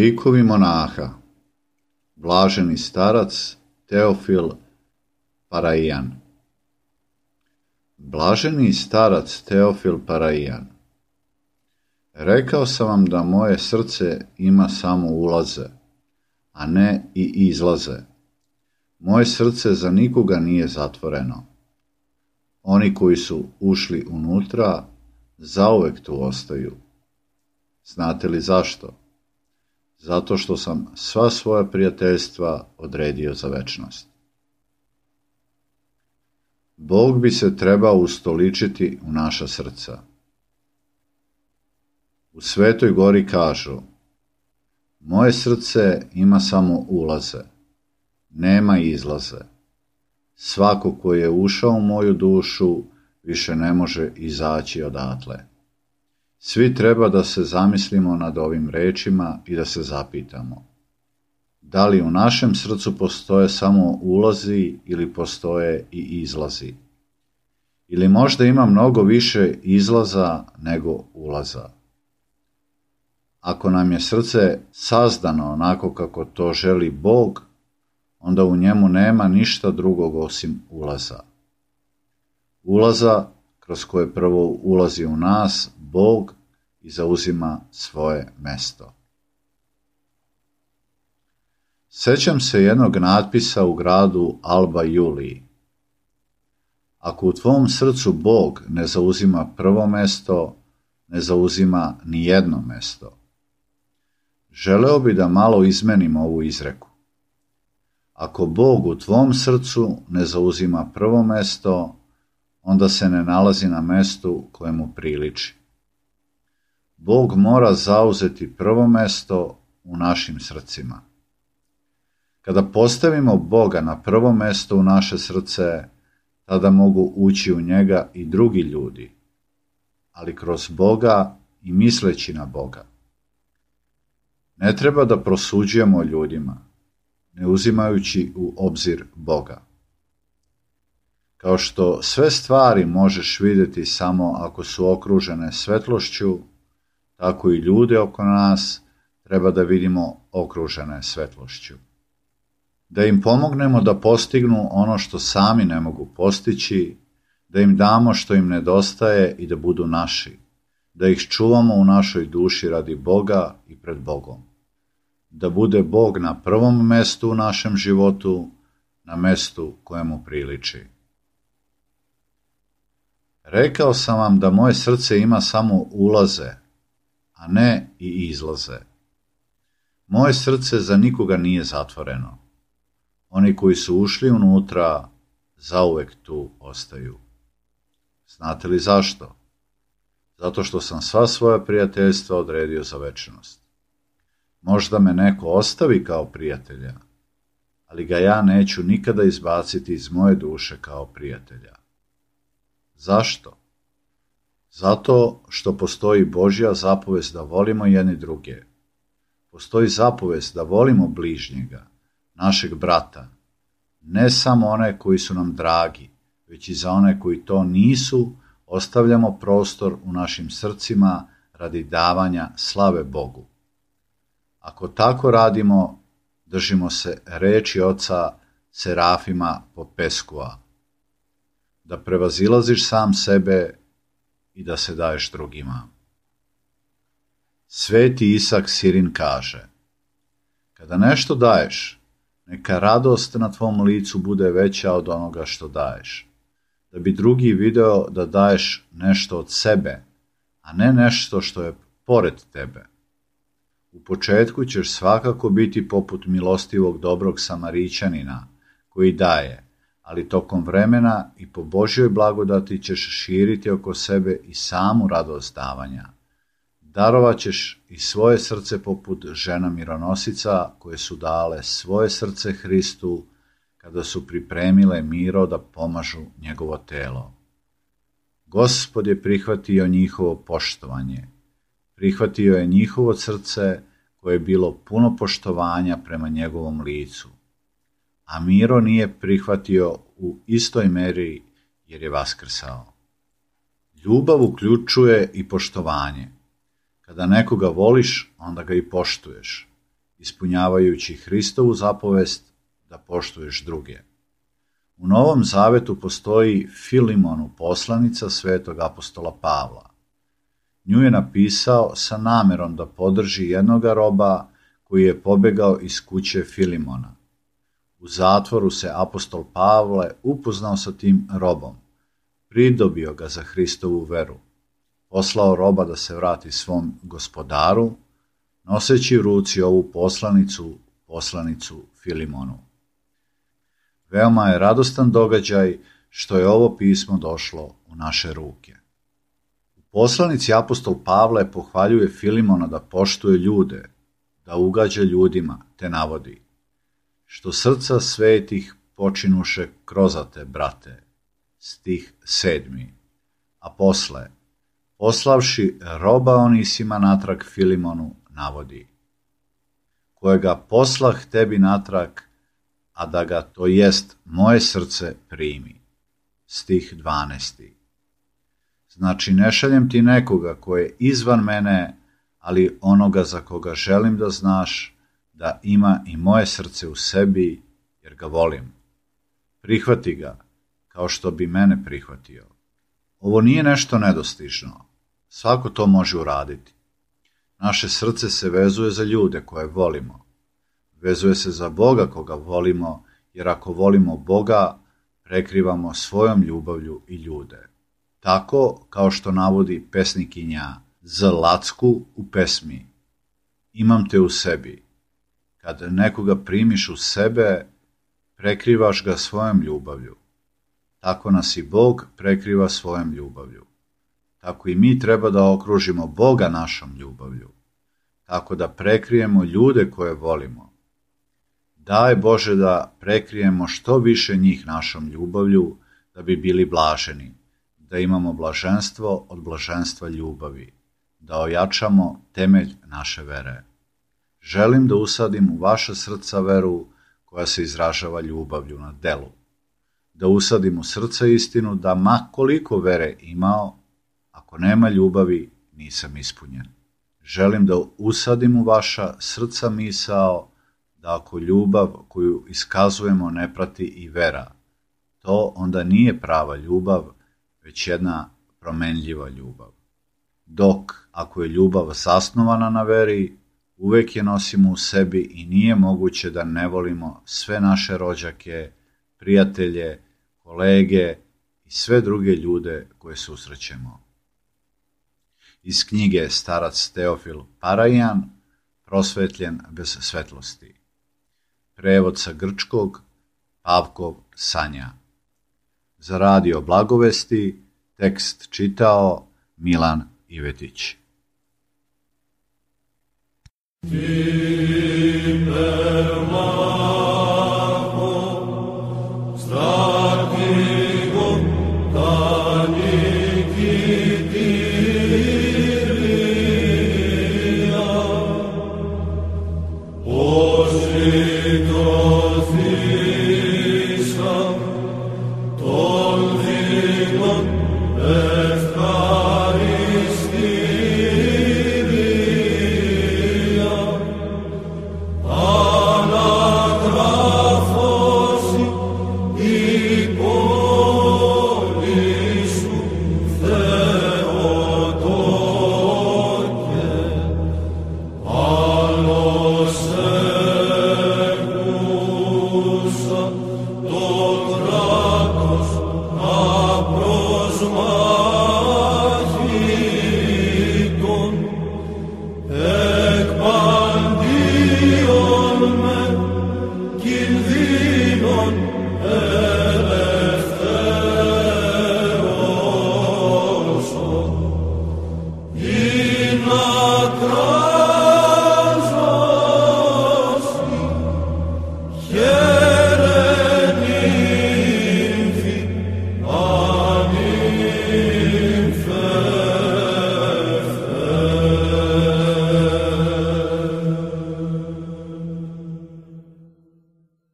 Likovi monaha. Blaženi starac Teofil Paraijan. Blaženi starac Teofil Paraijan. Rekao sam vam da moje srce ima samo ulaze, a ne i izlaze. Moje srce za nikoga nije zatvoreno. Oni koji su ušli unutra, zauvek tu ostaju. Znate li zašto? Zato što sam sva svoja prijateljstva odredio za večnost. Bog bi se trebao ustoličiti u naša srca. U Svetoj gori kažu: moje srce ima samo ulaze, nema izlaze. Svako ko je ušao u moju dušu više ne može izaći odatle. Svi treba da se zamislimo nad ovim rečima i da se zapitamo: da li u našem srcu postoje samo ulazi ili postoje i izlazi? Ili možda ima mnogo više izlaza nego ulaza? Ako nam je srce sazdano onako kako to želi Bog, onda u njemu nema ništa drugog osim ulaza. Ulaza kroz koje prvo ulazi u nas Bog i zauzima svoje mesto. Sećam se jednog natpisa u gradu Alba Juliji. Ako u tvom srcu Bog ne zauzima prvo mesto, ne zauzima ni jedno mesto. Želeo bi da malo izmenim ovu izreku. Ako Bog u tvom srcu ne zauzima prvo mesto, onda se ne nalazi na mestu kojemu priliči. Bog mora zauzeti prvo mesto u našim srcima. Kada postavimo Boga na prvo mesto u naše srce, tada mogu ući u njega i drugi ljudi, ali kroz Boga i misleći na Boga. Ne treba da prosuđujemo o ljudima, ne uzimajući u obzir Boga. Kao što sve stvari možeš vidjeti samo ako su okružene svetlošću, tako i ljude oko nas treba da vidimo okružene svetlošću. Da im pomognemo da postignu ono što sami ne mogu postići, da im damo što im nedostaje i da budu naši, da ih čuvamo u našoj duši radi Boga i pred Bogom. Da bude Bog na prvom mestu u našem životu, na mestu kojemu priliči. Rekao sam vam da moje srce ima samo ulaze, a ne i izlaze. Moje srce za nikoga nije zatvoreno. Oni koji su ušli unutra, zauvek tu ostaju. Znate li zašto? Zato što sam sva svoja prijateljstva odredio za večnost. Možda me neko ostavi kao prijatelja, ali ga ja neću nikada izbaciti iz moje duše kao prijatelja. Zašto? Zato što postoji Božja zapovest da volimo jedni druge. Postoji zapovest da volimo bližnjega, našeg brata, ne samo one koji su nam dragi, već i za one koji to nisu, ostavljamo prostor u našim srcima radi davanja slave Bogu. Ako tako radimo, držimo se reči oca Serafima Popeskua, da prevazilaziš sam sebe i da se daješ drugima. Sveti Isak Sirin kaže: kada nešto daješ, neka radost na tvom licu bude veća od onoga što daješ, da bi drugi video da daješ nešto od sebe, a ne nešto što je pored tebe. U početku ćeš svakako biti poput milostivog dobrog Samarićanina koji daje, ali tokom vremena i po Božjoj blagodati ćeš širiti oko sebe i samu radost davanja. Darovat ćeš i svoje srce poput žena mironosica koje su dale svoje srce Hristu kada su pripremile miro da pomažu njegovo telo. Gospod je prihvatio njihovo poštovanje, prihvatio je njihovo srce koje je bilo puno poštovanja prema njegovom licu, a Miro nije prihvatio u istoj meri jer je vaskrsao. Ljubav uključuje i poštovanje. Kada nekoga voliš, onda ga i poštuješ. ispunjavajući Hristovu zapovest da poštuješ druge. U Novom Zavetu postoji Filimonu poslanica svetog apostola Pavla. Nju je napisao sa namerom da podrži jednoga roba koji je pobegao iz kuće Filimona. U zatvoru se apostol Pavle upoznao sa tim robom, pridobio ga za Hristovu veru, poslao roba da se vrati svom gospodaru, noseći u ruci ovu poslanicu Filimonu. Veoma je radostan događaj što je ovo pismo došlo u naše ruke. U poslanici apostol Pavle pohvaljuje Filimona da poštuje ljude, da ugađa ljudima, te navodi: što srca svetih počinuše krozate, brate, stih 7. A posle, poslavši roba Onisima natrag Filimonu, navodi: kojega poslah tebi natrag, a da ga, to jest moje srce, primi. Stih 12. Znači, ne šaljem ti nekoga ko je izvan mene, ali onoga za koga želim da znaš da ima i moje srce u sebi, jer ga volim. Prihvati ga, kao što bi mene prihvatio. Ovo nije nešto nedostižno. Svako to može uraditi. Naše srce se vezuje za ljude koje volimo. Vezuje se za Boga koga volimo, jer ako volimo Boga, prekrivamo svojom ljubavlju i ljude. Tako kao što navodi pesnikinja Z. Lacku u pesmi: imam te u sebi. Kad nekoga primiš u sebe, prekrivaš ga svojom ljubavlju. Tako nas i Bog prekriva svojom ljubavlju. Tako i mi treba da okružimo Boga našom ljubavlju. Tako da prekrijemo ljude koje volimo. Daj Bože da prekrijemo što više njih našom ljubavlju, da bi bili blaženi, da imamo blaženstvo od blaženstva ljubavi, da ojačamo temelj naše vere. Želim da usadim u vaša srca veru koja se izražava ljubavlju na delu. Da usadim u srca istinu da ma koliko vere imao, ako nema ljubavi, nisam ispunjen. Želim da usadim u vaša srca misao da ako ljubav koju iskazujemo ne prati i vera, to onda nije prava ljubav, već jedna promenljiva ljubav. Dok, ako je ljubav zasnovana na veri, uvek je nosimo u sebi i nije moguće da ne volimo sve naše rođake, prijatelje, kolege i sve druge ljude koje susrećemo. Iz knjige Starac Teofil Parajan, Prosvetljen bez svetlosti. Prevod sa grčkog, Pavkov Sanja. Za radio Blagovesti tekst čitao Milan Ivetić.